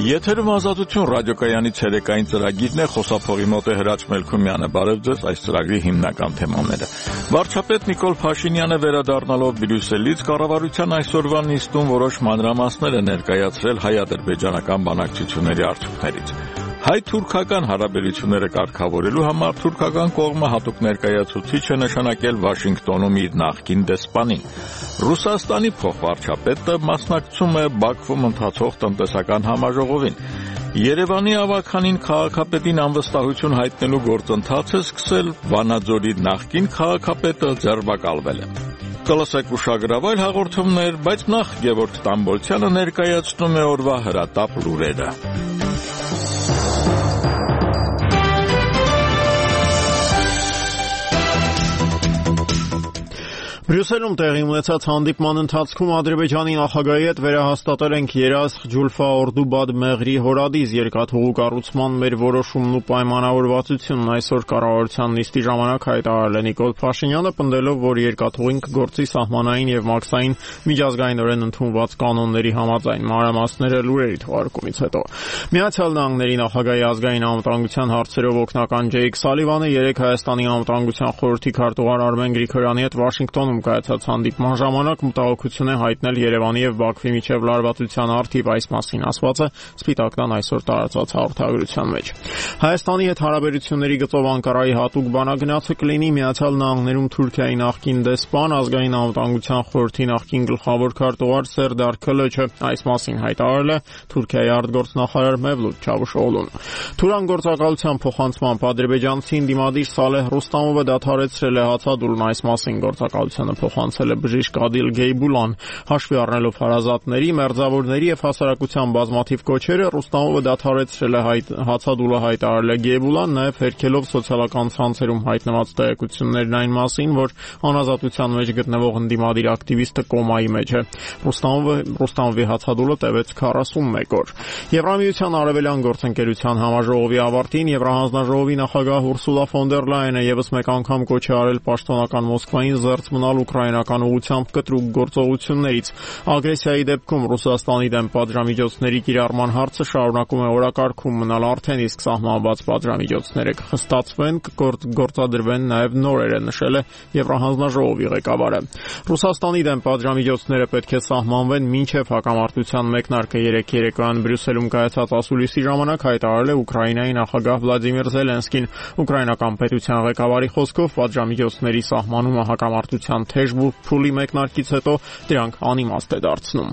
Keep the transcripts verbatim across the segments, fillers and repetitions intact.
Եթերում Ազատություն ռադիոկայանի ցերեկային ծրագիրն է, խոսափողի մոտ է Հրաչ Մելքումյանը։ Բարև ձեզ, այս ծրագրի հիմնական թեմաները։ Վարչապետ Նիկոլ Փաշինյանը վերադառնալով Բրյուսելից կառավարության այսօրվա նիստում որոշ մանրամասներ է ներկայացրել հայ-ադրբեջանական բանակցությունների արդյունքներից։ Հայ-թուրքական հարաբերությունները կարգավորելու համար թուրքական կողմը հատուկ ներկայացուցիչ է նշանակել Վաշինգտոնում իր նախկին դեսպանին։ Ռուսաստանի փոխվարչապետը մասնակցում է Բաքվում ընթացող տնտեսական համաժողովին։ Երևանի ավագանին քաղաքապետին անվստահություն հայտնելու գործընթացը սկսել, Վանաձորի նախկին քաղաքապետը ձերբակալվել է։ Կլսեք ուշագրավայր հաղորդումներ, բայց նախ Գևորգ Տամբոլցյանը ներկայացնում է օրվա հրատապ լուրերը։ Բրյուսելում տեղի ունեցած հանդիպման ընթացքում Ադրբեջանի նախագահի հետ վերահաստատել ենք երազխ Ջուլֆա Օրդուբադ Մեղրի հորադիս երկաթուղու կառուցման մեր որոշումն ու պայմանավորվածությունն այսօր կառավարության նիստի ժամանակ հայտարարել է Նիկոլ Փաշինյանը, պնդելով, որ երկաթուղին կգործի սահմանային եւ մաքսային միջազգայինորեն ընդունված կանոնների համաձայն։ Մանրամասները լուրերի թողարկումից հետո։ Միացյալ Նահանգների նախագահի ազգային անվտանգության հարցերով օգնական Ջեյք Սալիվանը երեկ Հայաստանի անվտանգության խորհրդի քարտուղար Արմեն Գրիգորյանի հետ Վաշինգտոնում կայացած հանդիպման ժամանակ մտահոգություն է հայտնել Երևանի եւ Բաքվի միջև լարվածության առթիվ, այս մասին ասվածը Սպիտակն այսօր տարածած հաղորդագրության մեջ։ Հայաստանի հետ հարաբերությունների գծով Անկարայի հատուկ բանագնացը կլինի Միացյալ Նահանգներում Թուրքիայի նախկին դեսպան, ազգային անվտանգության խորհրդի նախկին գլխավոր քարտուղար Սերդար Քլոչը, այս մասին հայտարարել է Թուրքիայի արտգործնախարար Մևլութ Չավուշօղլուն։ Թուրան գործակալության փոխանցմամբ ադրբեջանցին դիմադիր Սալեհ Ռուստամովը դադարեցրել է հացադուլն, այս մասին գործակալությանը փոխանցել է բժիշկ Ադիլ Գեյբուլան։ Հաշվի առնելով հարազատների, մերձավորների եւ հասարակության բազմաթիվ կոչերը, Ռուստամովը դադարեցրել է հացադուլը, հայտարարել է Գեյբուլան, նաեւ հերքելով սոցիալական ցանցերում հայտնված տեղեկություններն այն մասին, որ անազատության մեջ գտնվող ընդդիմադիր ակտիվիստը կոմայի մեջ է։ Ռուստամովը Ռուստամովի հացադուլը տևեց քառասունմեկ օր։ Եվրամիության արևելյան գործընկերության համաժողովի ավարտին Եվրահանձնաժողովի նախագահ Ուրսուլա ֆոն դեր Լայենը եւս մեկ անգամ կոչ է արել պաշտոնական Մոսկվային զերծ մնալ ուկրաինական ուղղությամբ կտրուկ գործողություններից։ Ագրեսիայի դեպքում Ռուսաստանի դեմ պատժամիջոցների կիրառման հարցը շարունակում է օրակարգում մնալ արդեն, իսկ սահմանված պատժամիջոցները կխստացվեն, կգործադրվեն նաև նորերը, նշել է Եվրահանձնաժողովի ղեկավարը։ Ռուսաստանի դեմ պատժամիջոցները պետք է սահմանվեն մինչև հակամարտության մեկնարկը, երեկ երեկոյան Բրյուսելում կայացած ասուլիսի ժամանակ հայտարարել է Ուկրաինայի նախագահ Վլադիմիր Զելենսկին։ Ուկրաինական պետության ղեկավարի խոսքով պատժամիջոցների սահմանումը հակամարտության թեժ փուլի մեկնարկից հետո դրանք անիմաստ է դարձնում։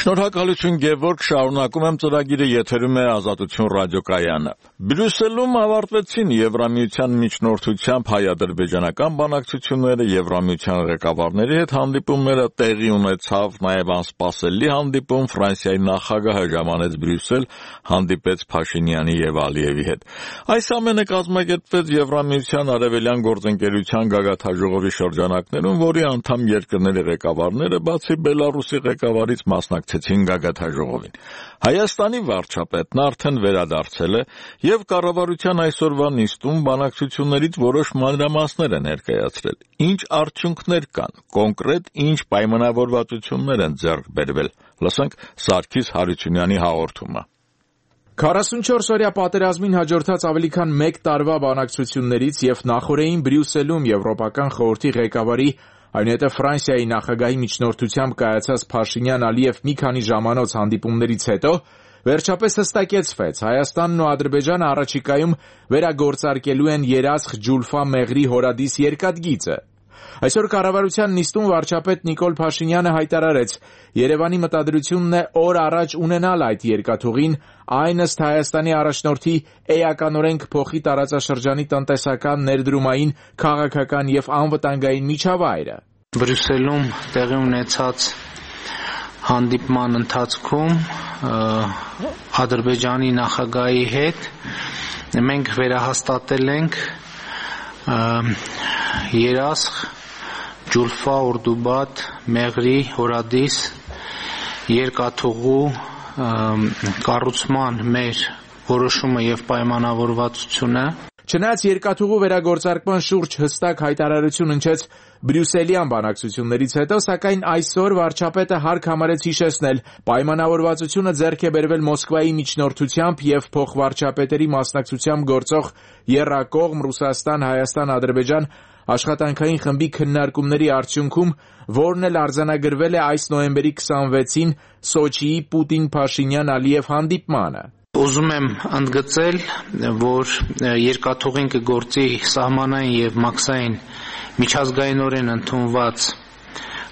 Շնորհակալություն Գևորգ, շարունակում եմ ծրագիրը, եթերում է Ազատություն ռադիոկայանը։ Բրյուսելում ավարտվեցին Եվրամիության միջնորդությամբ հայ-ադրբեջանական բանակցությունները, Եվրամիության ղեկավարների հետ հանդիպումները, տեղի ունեցավ նաև անսպասելի հանդիպում, Ֆրանսիայի նախագահը ժամանեց Բրյուսել, հանդիպեց Փաշինյանի եւ Ալիևի հետ։ Այս ամենը կազմակերպվեց Եվրամիության արևելյան գործընկերության գագաթնաժողովի շրջանակներում, որի անդամ երկրների ղեկավարները բացի Բելարուսի ղեկավարից մասնակցեցին գագաթնաժողովին։ Հայաստանի վարչապետն արդեն վերադարձել է եւ կառավարության այսօրվա նիստում բանակցություններից որոշ մանրամասներ է ներկայացրել։ Ինչ արդյունքներ կան, կոնկրետ ինչ պայմանավորվածություններ են ձեռք բերվել։ Լսենք Սարգիս Հարությունյանի հաղորդումը։ քառասունչորս օրյա պատերազմին հաջորդած ավելի քան մեկ տարվա բանակցություններից եւ նախորդին Բրյուսելում Եվրոպական խորհրդի ղեկավարի, այնուհետև Ֆրանսիայի նախագահի միջնորդությամբ կայացած Փաշինյան-Ալիև մի քանի ժամանոց հանդիպումներից հետո վերջապես հստակեցվեց, Հայաստանն ու Ադրբեջանը առաջիկայում վերագործարկելու են երազխ Ջուլֆա Մեղրի հորադիս երկաթգիծը։ Այսօր կառավարության նիստում վարչապետ Նիկոլ Փաշինյանը հայտարարեց, Երևանի մտադրությունն է օր առաջ ունենալ այդ երկաթուղին, այն ըստ Հայաստանի առաջնորդի էականորեն կփոխի տարածաշրջանի տնտեսական, ներդրումային, քաղաքական եւ անվտանգային միջավայրը։ Բրյուսելում տեղի ունեցած հանդիպման ընթացքում Ադրբեջանի նախագահի հետ մենք վերահաստատել ենք երազխ Ջուլֆա Օրդուբադ Մեղրի հորադիս երկաթուղու կառուցման մեր որոշումը եւ պայմանավորվածությունը։ Չնայած երկաթուղու վերագործարկման շուրջ հստակ հայտարարություն հնչեց Բրյուսելյան բանակցություններից հետո, սակայն այսօր վարչապետը հարկ համարեց հիշեցնել, պայմանավորվածությունը ձեռք է բերվել Մոսկվայի միջնորդությամբ և փոխվարչապետերի մասնակցությամբ գործող եռակողմ Ռուսաստան, Հայաստան, Ադրբեջան աշխատանքային խմբի քննարկումների արդյունքում, որն էլ արձանագրվել է այս նոյեմբերի քսանվեցին Սոչիի Պուտին-Փաշինյան-Ալիև հանդիպմանը։ Ուզում եմ ընդգծել, որ երկաթուղին կգործի սահմանային և մաքսային միջազգայինորեն ընդունված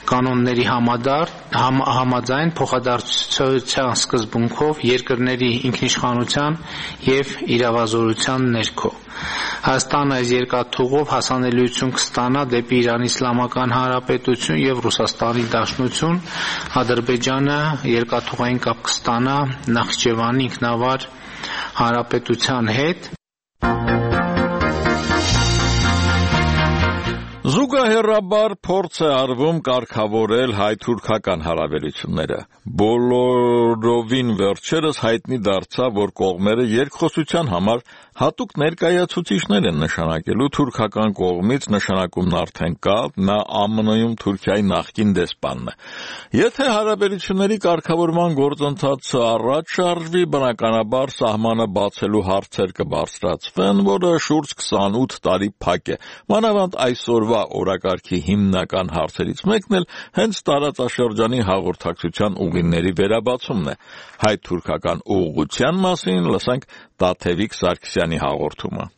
կանոնների համաձայն փոխադարձության սկզբունքով երկրների ինքնիշխանության և իրավազորության ներքո։ Հայաստանը այս երկաթուղով հասանելիություն կստանա դեպի Իրանի Իսլամական Հանրապետություն և Ռուսաստանի Դաշնություն, Ադրբեջանը երկաթուղային կապ կստանա Նախիջևանի ինքնավար հանրապետության հետ։ Զուգահեռաբար փորձ է արվում կարգավորել հայ-թուրքական հարաբերությունները։ Բոլորովին վերջերս հայտնի դարձավ, որ կողմերը երկխոսության համար հատուկ ներկայացուցիչներ են նշանակելու թուրքական կողմից նշանակումն արդեն կա, նա ԱՄՆ -ում Թուրքիայի նախկին դեսպանն է։ Եթե հարաբերությունների կարգավորման գործընթացը առաջ շարժվի, բնականաբար սահմանը բացելու հարցեր կբարձրացվեն, որը շուրջ քսանութ տարի փակ է։ Մանավանդ այսօրվա օրակարգի հիմնական հարցերից մեկն էլ հենց տարածաշրջանի հաղորդակցության ուղիների վերաբացումն է։ Հայ-թուրքական ուղղության մասին լսենք Տաթևիկ Սարգսյանի հաղորդումը։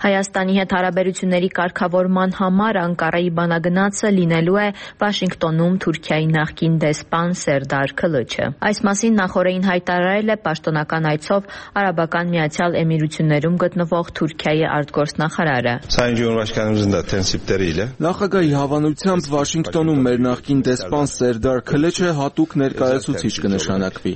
Հայաստանի հետ հարաբերությունների կարգավորման համար Անկարայի բանագնացը լինելու է Վաշինգտոնում Թուրքիայի նախկին դեսպան Սերդար Քլիչը։ Այս մասին նախօրեին հայտարարել է պաշտոնական այցով Արաբական Միացյալ Էմիրություններում գտնվող Թուրքիայի արտգործնախարարը։ Նախագահի հավանությամբ Վաշինգտոնում մեր նախկին դեսպան Սերդար Քլիչը հատուկ ներկայացուցիչ կնշանակվի։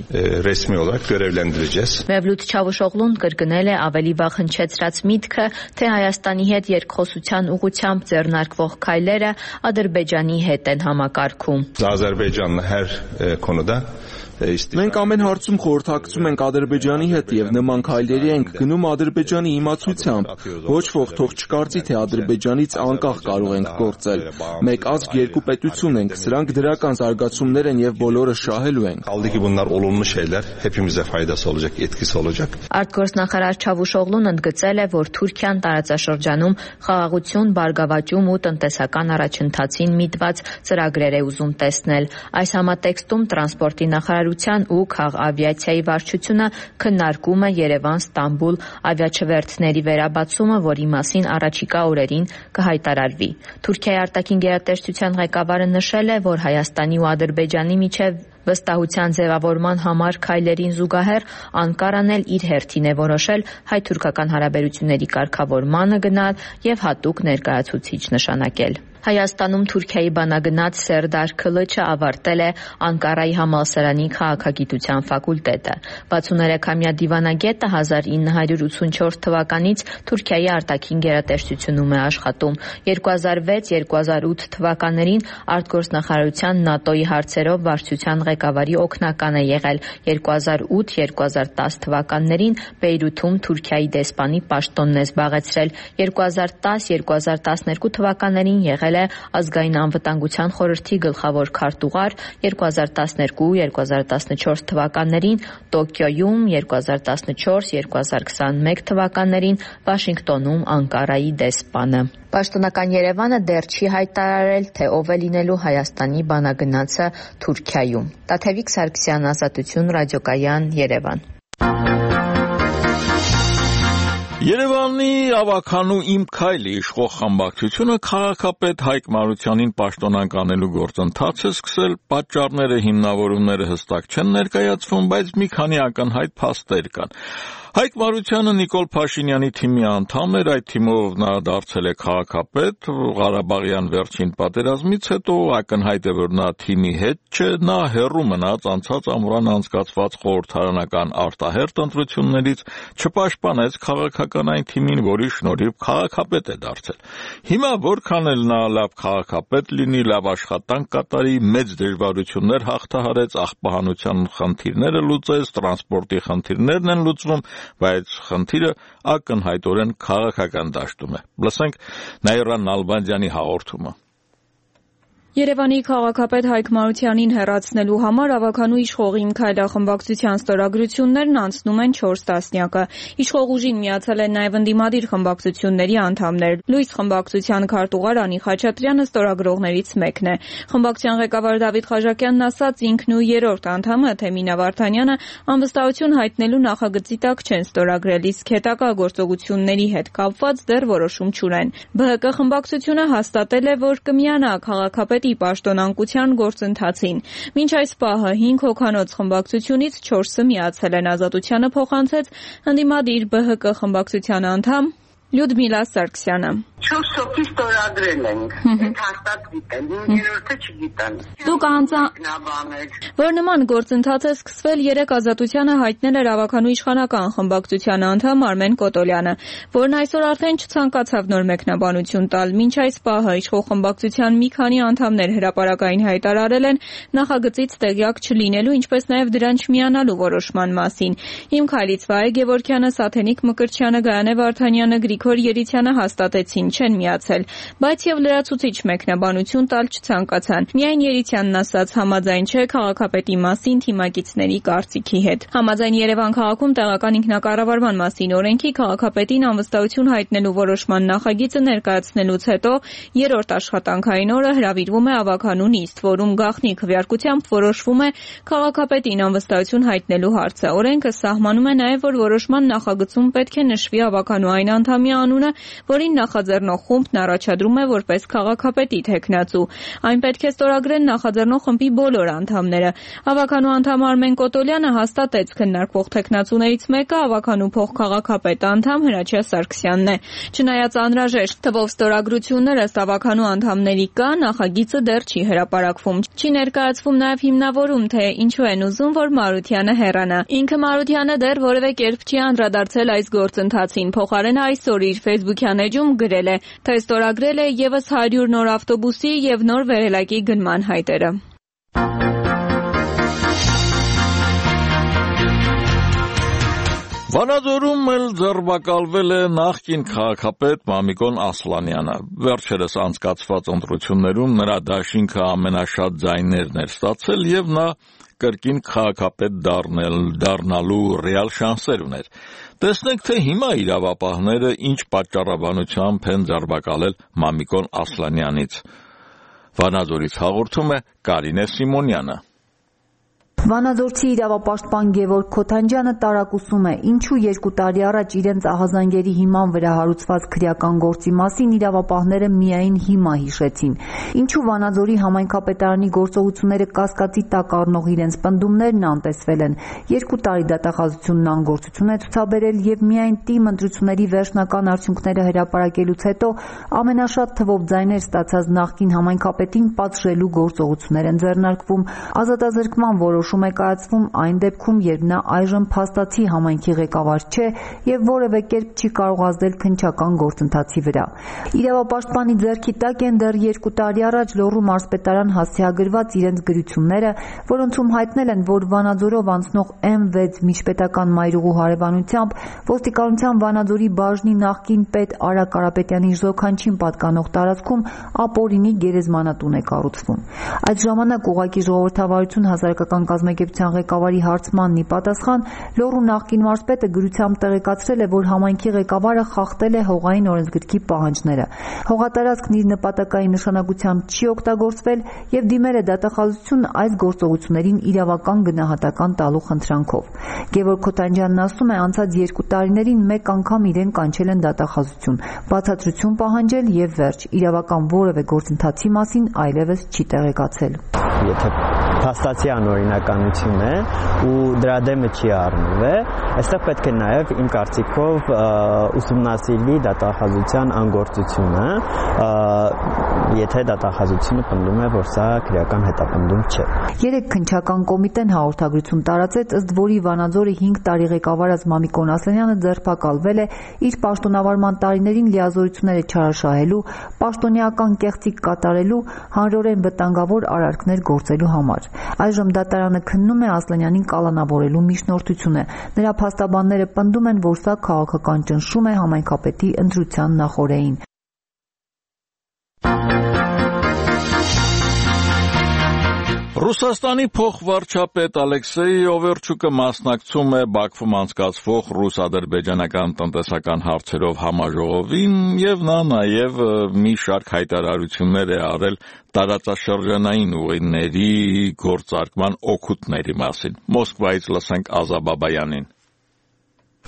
Մևլութ Չավուշօղլուն կրկնել է ավելի վաղ հնչեցրած միտքը, թե Հայաստանի հետ երկխոսության ուղղությամբ ձեռնարկվող քայլերը Ադրբեջանի հետ են համակարգում։ Մենք ամեն հարցում խորհրդակցում ենք Ադրբեջանի հետ եւ նման քայլերի ենք գնում Ադրբեջանի իմացությամբ։ Ոչ ոք թող չկարծի, թե Ադրբեջանից անկախ կարող ենք գործել։ Մեկ ազգ երկու պետություն ենք, սրանք դրական զարգացումներ են եւ բոլորը շահելու ենք։ Արտգործնախարար Չավուշօղլուն ընդգծել է, որ Թուրքիան տարածաշրջանում խաղաղություն, բարգավաճում ու տնտեսական առաջընթացին միտված ծրագրեր է ուզում տեսնել։ Այս համատեքստում տրանսպորտի նախարարության ու քաղավիացիայի վարչությունը քննարկում է Երևան-Ստամբուլ ավիաչվերթների վերաբացումը, որի մասին առաջիկա օրերին կհայտարարվի։ Թուրքիայի արտաքին գերատեսչության ղեկավարը նշել է, որ Հայաստանի ու Ադրբեջանի միջև վստահության ձևավորման համար քայլերին զուգահեռ Անկարան էլ իր հերթին է որոշել հայ-թուրքական հարաբերությունների կարգավորմանը գնալ եւ հատուկ ներկայացուցիչ նշանակել։ Հայաստանում Թուրքիայի բանագնաց Սերդար Քլիչը ավարտել է Անկարայի համալսարանի քաղաքագիտության ֆակուլտետը։ վաթսուններեքամյա դիվանագետը հազար ինը հարյուր ութսունչորս թվականից Թուրքիայի արտաքին գերատեսչությունում է աշխատում։ երկու հազար վեց երկու հազար ութ թվականներին արտգործնախարարության ՆԱՏՕ-ի հարցերով վարչության ղեկավարի օգնական է եղել։ երկու հազար ութ երկու հազար տաս թվականներին Բեյրութում Թուրքիայի դեսպանի պաշտոնն է զբաղեցրել։ երկու հազար տաս երկու հազար տասներկու թվականներին եղել է Ազգային անվտանգության խորհրդի գլխավոր քարտուղար, երկու հազար տասներկու երկու հազար տասնչորս թվականներին Տոկիոյում, երկու հազար տասնչորս երկու հազար քսանմեկ թվականներին Վաշինգտոնում Անկարայի դեսպանը։ Պաշտոնական Երևանը դեռ չի հայտարարել, թե ով է լինելու Հայաստանի բանագնացը Թուրքիայում։ Տաթևիկ Սարգսյան, Ազատություն, ռադիոկայան, Երևան։ Երևանի ավականու Իմ քայլի իշխող խմբակցությունը քաղաքապետ Հայկ Մարությանին պաշտոնանկանելու գործընթաց է սկսել, պատճառները, հիմնավորումները հստակ չեն ներկայացվում, բայց մի քանի ակնհայտ փաստեր կան։ Հայկ Մարությանը Նիկոլ Փաշինյանի թիմի անդամ էր, այդ թիմով նա դարձել է քաղաքապետ, Ղարաբաղյան վերջին պատերազմից հետո ակնհայտ է, որ նա թիմի հետ չէ, նա հեռու մնաց անցած ամռան անցկացված խորհրդարանական արտահերթ ընտրություններից, չպաշտպանեց քաղաքականային թիմին, որի շնորհիվ քաղաքապետ է դարձել։ Հիմա որքան էլ նա լավ քաղաքապետ լինի, լավ աշխատանք կատարի, մեծ դժվարություններ հաղթահարեց, աղբահանության խնդիրները լուծեց, տրանսպորտի խնդիրներն են լուծվում, բայց խնդիրը ակնհայտորեն քաղաքական դաշտում է։ Լսենք Նաիրա Նալբանդյանի հաղորդումը։ Երևանի քաղաքապետ Հայկ Մարությանին հեռացնելու համար ավականու իշխող «Իմ քայլախմբակցության» ստորագրություններն անցնում են չորս տասնյակը։ Իշխող ուժին միացել են նաև ընդդիմադիր խմբակցությունների անդամներ։ Լույս խմբակցության քարտուղար Անի Խաչատրյանը ստորագրողներից մեկն է։ Խմբակցության ղեկավար Դավիթ Խաչակյանն ասաց, ինքն ու երրորդ անդամը Թեմինա Վարդանյանը անվստահություն հայտնելու նախագծի տակ չեն ստորագրել, իսկ հետագա գործողությունների հետ կապված դեռ որոշում չունեն։ Բը հը կը խմբակցությունը հաստատել է, որ կմիանա քաղաքապետի պաշտոնանկության գործընթացին։ Մինչ այս պահը հինգ հոգանոց խմբակցությունից չորսը միացել են, Ազատությանը փոխանցեց ընդդիմադիր Բը հը կը խմբակցության անդամ Լյուդմիլա Սարգսյանը։ Չորս հոգի ստորագրել ենք, այդ հաստատ գիտեն, երրորդը չգիտեն։ Դուք անձա որ նման գործընթաց է սկսվել, երեք Ազատությանը հայտնել էր ավականու իշխանական խմբակցության անդամ Արմեն Կոտոլյանը, որն այսօր արդեն չցանկացավ նոր մեկնաբանություն տալ։ Մինչ այս պահը իշխող խմբակցության մի քանի անդամներ հրապարակային հայտարարել են նախագծից տեղյակ չլինելու, ինչպես նաև դրան չմիանալու որոշման մասին։ Իմ քայլից Վահե Գևորգյանը, Սաթենիկ Մկրտչյանը, Գայանե Վարդանյանը, Գրիգոր Երիցյանը հաստատեցին, չեն միացել, բայց եւ լրացուցիչ մեկնաբանություն տալ չցանկացան։ Միայն Երիցյանն ասաց, համաձայն չէ քաղաքապետի մասին թիմակիցների կարծիքի հետ։ Համաձայն Երևան քաղաքում տեղական ինքնակառավարման մասին օրենքի քաղաքապետին անվստահություն հայտնելու որոշման նախագիծը ներկայացնելուց հետո երրորդ աշխատանքային օրը հրավիրվում է ավականու նիստ, որում գաղտնի քվեարկությամբ որոշվում է քաղաքապետին անվստահություն հայտնելու հարցը։ Օրենքը սահմանում է նաև, որ որոշման նախագծում պետք է նշվի ավականու այն անդամի անունը, որին նախաձեռնող խումբն առաջադրում է որպես քաղաքապետի թեկնածու։ Այն պետք է ստորագրեն նախաձեռնող խմբի բոլոր անդամները։ Ավականու անդամ Արմեն Կոտոլյանը հաստատեց, քննարկվող թեկնածուներից մեկը ավականու փոխքաղաքապետ անդամ Հրաչյա Սարգսյանն է։ Չնայած անհրաժեշտ թվով ստորագրություններ ըստ ավականու անդամների կա, նախագիծը դեռ չի հրապարակվում։ Չի ներկայացվում նաև հիմնավորում, թե ինչու են ուզում, որ Մարությանը հեռանա։ Ինքը Մարությանը դեռ որևէ կերպ չի անդրադարձել այս գործընթացին։ Փոխարենը այսօր իր Facebook-յան էջում գրել է, թե ստորագրել է ևս հարյուր նոր ավտոբուսի եւ նոր վերելակի գնման հայտերը։ Վանաձորում էլ ձերբակալվել է նախկին քաղաքապետ Մամիկոն Ասլանյանը։ Վերջերս անցկացված ընտրություններում նրա դաշինքը ամենաշատ ձայներն էր ստացել եւ նա կրկին քաղաքապետ դառնել դառնալու ռեալ շանսեր ուներ։ Տեսնենք, թե հիմա իրավապահները ինչ պատճառաբանությամբ են ձերբակալել Մամիկոն Ասլանյանից։ Վանաձորից հաղորդում է Կարինե Սիմոնյանը։ Վանաձորցի իրավապաշտպան Գևորգ Քոթանջյանը տարակուսում է, ինչու երկու տարի առաջ իրենց ահազանգերի հիման վրա հարուցված քրեական գործի մասին իրավապահները միայն հիմա հիշեցին։ Ինչու Վանաձորի համայնքապետարանի գործողությունները կասկածի տակ առնող իրենց պնդումներն անտեսվել են։ Երկու տարի դատախազությունն անգործություն է ցուցաբերել եւ միայն ՏԻՄ ընտրությունների վերջնական արդյունքները հրապարակելուց հետո ամենաշատ թվով ձայներ ստացած նախկին համայնքապետին պատժելու գործողություններ են ձեռնարկվում։ Ազատազրկման որոշ է կայացվում այն դեպքում, երբ նա այժմ փաստացի համայնքի ղեկավար չէ եւ որևէ կերպ չի կարող ազդել քննչական գործընթացի վրա։ Իրավապաշտպանի ձեռքի տակ են դեռ երկու տարի առաջ Լոռու մարզպետարան հասցեագրված իրենց գրությունները, որոնցում հայտնել են, որ Վանաձորով անցնող էմ վեց միջպետական մայրուղու հարևանությամբ ոստիկանության Վանաձորի բաժնի նախկին պետ Արա Կարապետյանի Ժոքանչին պատկանող տարածքում ապօրինի գերեզմանատուն է կառուցվում։ Այդ ժամանակ ուղղակի ժողովրդավարություն հասարակական կազմակերպության ղեկավարի հարցմանն ի պատասխան Լոռու նախկին մարզպետը գրությամբ տեղեկացրել է, որ համայնքի ղեկավարը խախտել է հողային օրենսգրքի պահանջները։ Հողատարածքն իր նպատակային նշանակությամբ չի օգտագործվել եւ դիմել է դատախազություն այս գործողություններին իրավական գնահատական տալու խնդրանքով։ Գևորգ Քոթանջյանն ասում է, անցած երկու տարիներին մեկ անգամ իրեն կանչել են դատախազություն, բացատրություն պահանջել եւ վերջ։ Իրավական որևէ գործընթացի մասին այլևս չի տեղեկացել։ Եթե փաստացի անօրինականություն է ու դրա դեմը չի առնվել, այստեղ պետք է նաև իմ կարծիքով ուսումնասիրվի դատախազության անգործությունը, եթե դատախազությունը պնդում է, որ սա քրեական հետապնդում չէ։ Երեք քննչական կոմիտեն հաղորդագրություն տարածեց, ըստ որի Վանաձորի հինգ տարի ղեկավարած Մամիկոն Ասլանյանը ձերբակալվել է իր պաշտոնավարման տարիներին լիազորությունները չարաշահելու, պաշտոնեական կեղծիք կատարելու, հանրորեն վտանգավոր արարքներ գործելու համար։ Այժմ դատարանը քննում է Ասլանյանին կալանավորելու միջնորդությունը։ Նրա փաստաբանները պնդում են, որ սա քաղաքական ճնշում է համայնքապետի ընտրության նախօրեին։ Ռուսաստանի փոխվարչապետ Ալեքսեյ Օվերչուկը մասնակցում է Բաքվում անցկացվող ռուս-ադրբեջանական տնտեսական հարցերով համաժողովին եւ նա նաեւ մի շարք հայտարարություններ է արել տարածաշրջանային ուղիների գործարկման օգուտների մասին։ Մոսկվայից լսենք Ազա Բաբայանին։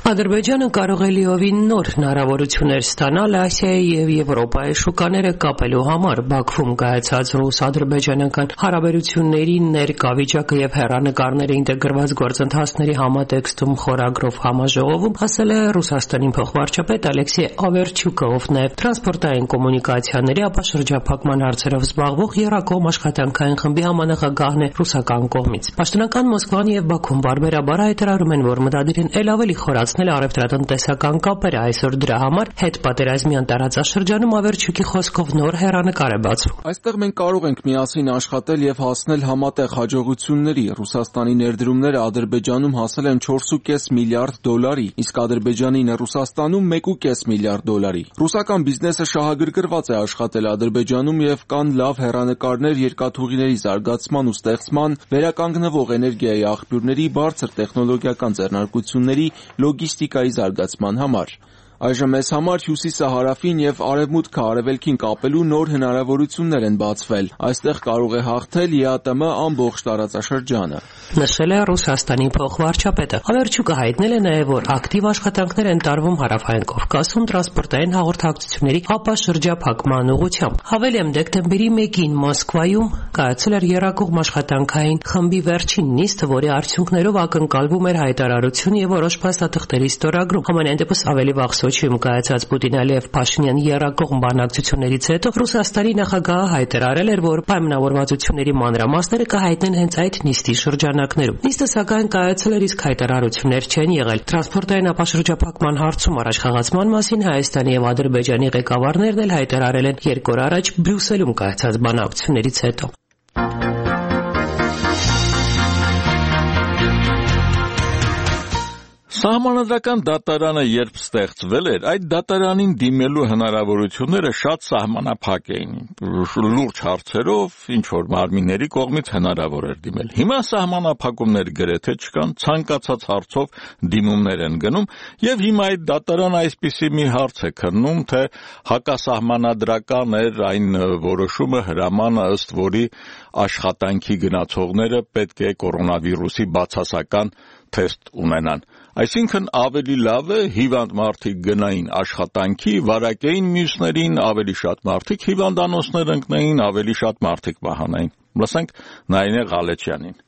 Ադրբեջանը կարող է լիովին նոր հնարավորություններ ստանալ Ասիայի եւ Եվրոպայի շուկաները կապելու համար։ Բաքվում կայացած ռուս-ադրբեջանական հարաբերությունների ներկա վիճակը եւ հեռանկարները ինտեգրված գործընթացների համատեքստում խորագրով համաժողովում ասել է Ռուսաստանի փոխվարչապետ Ալեքսեյ Օվերչուկը, ով նաեւ տրանսպորտային կոմունիկացիաների ապաշրջափակման հարցերով զբաղվող Եռակողմ աշխատանքային խմբի համանախագահն է ռուսական կողմից։ Պաշտոնական Մոսկվան եւ Բաքուն բարբերաբար հայտարարում են, որ մտադիր են ել ավելի խորացնել առևտրատնտեսական կապերը, այսօր դրա համար հետպատերազմյան տարածաշրջանում Ավերչուկի խոսքով նոր հեռանկար է բացվում։ Այստեղ մենք կարող ենք միասին աշխատել եւ հասնել համատեղ հաջողությունների։ Ռուսաստանի ներդրումները Ադրբեջանում հասել են չորս ու կես միլիարդ դոլարի, իսկ Ադրբեջանինը Ռուսաստանում մեկ ու կես միլիարդ դոլարի։ Ռուսական բիզնեսը շահագրգռված է աշխատել Ադրբեջանում եւ կան լավ հեռանկարներ երկաթուղիների զարգացման ու ստեղծման, վերականգնվող էներգիայի աղբյուրների, բարձր տեխնոլոգիական ձեռնարկությունների, լոգիստիկայի զարգացման համար։ Այժմ մեզ համար հյուսիսը հարավին եւ արևմուտքը արևելքին կապելու նոր հնարավորություններ են բացվել։ Այստեղ կարող է հաղթել ԵԱՏՄ ամբողջ տարածաշրջանը։ Նշել է Ռուսաստանի փոխվարչապետը։ Ավերչուկը հայտնել է նաեւ, որ ակտիվ աշխատանքներ են տարվում հարավային Կովկասում տրանսպորտային հաղորդակցությունների ապաշրջափակման ուղղությամբ։ Հավելեմ, դեկտեմբերի մեկին Մոսկվայում կայացել էր Եռակողմ աշխատանքային խմբի վերջին նիստը, որի արդյունքներով ակնկալվում էր հայտարարություն եւ որոշ փաստաթղթերի ստորագրում։ Համենայն դեպս ավելի վաղ Սոչիում կայացած Պուտին-Ալիև-Փաշինյան եռակողմ բանակցություններից հետո Ռուսաստանի նախագահը հայտարարել էր, որ պայմանավորվածությունների մանրամասները կհայտնեն հենց այդ նիստի շրջանակներում։ Նիստը սակայն կայացել էր, իսկ հայտարարություններ չեն եղել։ Տրանսպորտային ապաշրջափակման հարցում առաջխաղացման մասին Հայաստանի եւ Ադրբեջանի ղեկավարներն էլ հայտարարել են երկու օր առաջ Բրյուսելում կայացած բանակցություններից հետո։ Սահմանադրական դատարանը երբ ստեղծվել էր, այդ դատարանին դիմելու հնարավորությունները շատ սահմանափակ էին։ Լուրջ հարցերով ինչ որ մարմինների կողմից հնարավոր էր դիմել։ Հիմա սահմանափակումներ գրեթե չկան, ցանկացած հարցով դիմումներ են գնում, եւ հիմա այդ դատարանը այսպիսի մի հարց է քննում, թե հակասահմանադրական էր այն որոշումը հրամանը, ըստ որի աշխատանքի գնացողները պետք է կորոնավիրուսի բացասական թեստ ունենան։ Այսինքն ավելի լավ է հիվանդ մարդիկ գնային աշխատանքի, վարակեին մյուսներին, ավելի շատ մարդիկ հիվանդանոցներ ընկնեին, ավելի շատ մարդիկ մահանային։ Լսենք Նայինե Ղալեչյանին։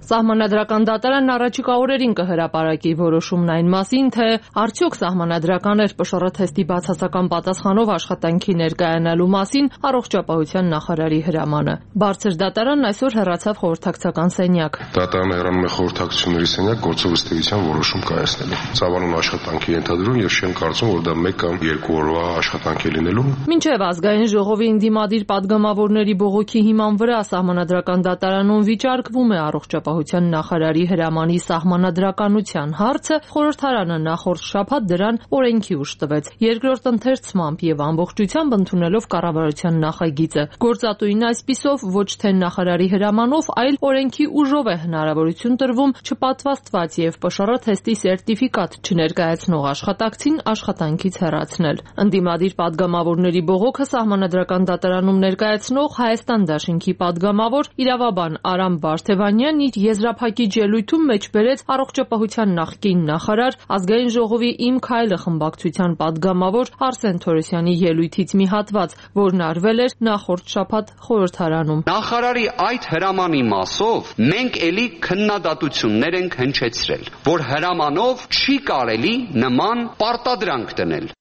Սահմանադրական դատարանն առաջիկա օրերին կհրապարակի որոշումն այն մասին, թե արդյոք սահմանադրական էր ՊՇՌ թեստի բացասական պատասխանով աշխատանքի ներկայանալու մասին առողջապահության նախարարի հրամանը։ Բարձր դատարանն այսօր հեռացավ խորհրդակցական սենյակ։ Դատարանը հեռանում է խորհրդակցությունների սենյակ գործով ըստ էության որոշում կայացնելու։ Ծավալուն աշխատանքի ենթադրում եւ չեմ կարծում, որ դա մեկ կամ երկու օրվա աշխատանք է լինելու։ Մինչև ազգային ժողովի ընդդիմադիր падգամավորների բողոքի հիման վրա սահմանադրական դատարանում վիճարկվում է առողջապահության նախարարի հրամանի սահմանադրականության հարցը, խորհրդարանը նախորդ շաբաթ դրան օրենքի ուժ տվեց։ Երկրորդ ընթերցմամբ եւ ամբողջությամբ ընդունելով կառավարության նախագիծը։ Գործատուին այսպիսով ոչ թե նախարարի հրամանով, այլ օրենքի ուժով է հնարավորություն տրվում չպատվաստված եւ ՊՇՌ թեստի սերտիֆիկատ չներկայացնող աշխատակցին աշխատանքից հեռացնել։ Ընդդիմադիր падգամավորների բողոքը սահմանադրական դատարանում ներկայացնող Հայաստան դաշինքի падգամավոր իրավաբան Արամ Բարթևանյանն իր եզրափակիչ ելույթում մեջբերեց առողջապահության նախկին նախարար, ազգային ժողովի Իմ քայլը խմբակցության падգամավոր Արսեն Թորոսյանի ելույթից մի հատված, որն արվել էր նախորդ շաբաթ խորհրդարանում։ Նախարարի այդ հրամանի մասով մենք էլի քննադատություններ ենք հնչեցրել, որ հրամանով չի կարելի նման պարտադրանք դնել։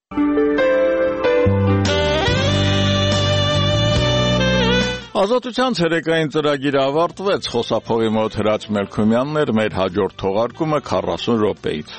Ազատության ցերեկային ծրագիրը ավարտվեց, խոսափողի մոտ Հրաչ Մելքումյանն էր, մեր հաջորդ թողարկումը քառասուն րոպեից։